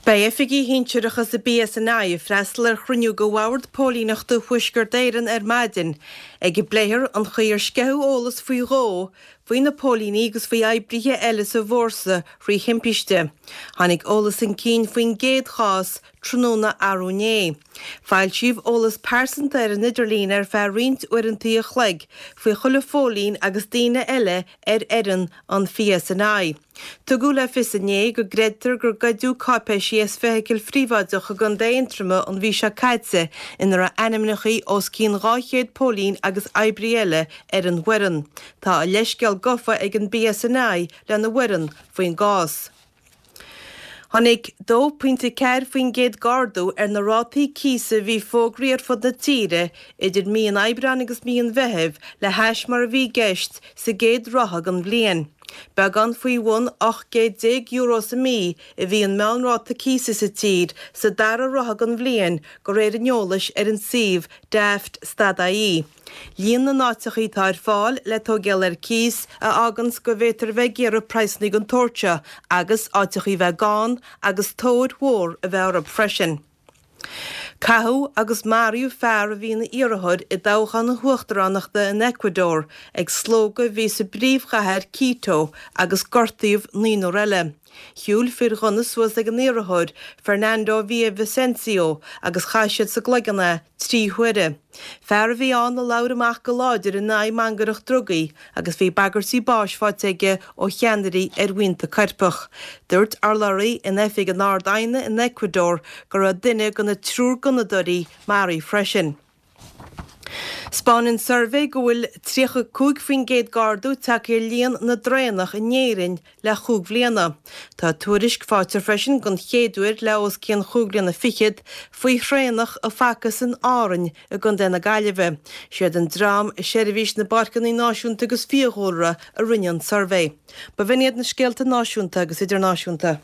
Beidh oifigigh shinsearacha sa BSNI ag freastal ar chruinniú de Bhord Póilíneachta Thuaisceart Éireann ar maidin, ag a bpléifear an chaoi ar sceitheadh eolas faoi dhó faoi na póilíní agus faoi oibrithe eile sa bhfórsa thrí thimpiste. Tháinig eolas chun cinn faoin gcéad chás tráthnóna arú inné. Foilsíodh eolas pearsanta ar an idirlíon ar feadh roinnt uaireanta a chloig faoi chuile phóilín agus daoine eile ar fhoireann an PSNI. Tugadh le fios inné go gcreidtear gur goideadh cáipéisí as feithicil phríobháideach i gContae Aontroma an mhí seo caite ina raibh ainmneacha os cionn 200 póilín agus oibrí eile ar an bhfoireann. Tá a leithscéal gafa ag an BSNI lena bhfoireann faoin gcás. Tháinig 2.4% d'ardú ar na rátaí cíosa a bhí fógraithe ar fud na tíre idir mí an Aibreáin agus mí an Mheithimh le hais mar a bhí i gceist sa gcéad ráithe den bhliain. Beagán faoi bhun €18 chéad sa mí a bhí an meánráta cíosa sa tír sa dara ráithe den bhliain de réir an eolais ar an suíomh Daft stad ie. Líon na n-áiteachaí atá ar fáil le tóigeáil ar cíos a fháganns go bhféadtar a bheith ag iarraidh praghsannaí den tsórt seo agus áiteachaí bheith gann agus tóir mhór a bheith orthu freisin. Caitheadh agus maraíodh fear a bhí ina iarrthóir i dtoghchán na huachtaránachta in Ecuador ag slógadh a bhí sa bpríomhchathair Quito agus gortaíodh naonúr eile. Shiúil fir ghunna suas ag an iarrthóir, Fernando Villavicencio, agus chaith siad sa gcloigeann é 3 huaire. Fear a bhí ann a labhair amach go láidir in aghaidh mangaireacht drugaí agus bhí bagairtí báis faighte aige ó cheannairí ar bhuíonta coirpeach. Dúirt urlabhraí in oifig an Ard-Aighne in Ecuador go raibh duine de na triúr gunnadóirí maraithe freisin. 'Spáineann suirbhé go bhfuil 35% d'ardú tagtha ar líon na dtraonach in Éirinn le chúig bhliana. Tá tuairisc faighte freisin den chéad uair le os cionn chúig bliana fichead faoi thraonach a facthas in Árainn i gContae na Gaillimhe. Siad an dream i Seirbhís na bPáirceanna Náisiúnta agus Fiadhúlra a rinne an suirbhé. B'in iad na scéalta náisiúnta agus idirnáisiúnta.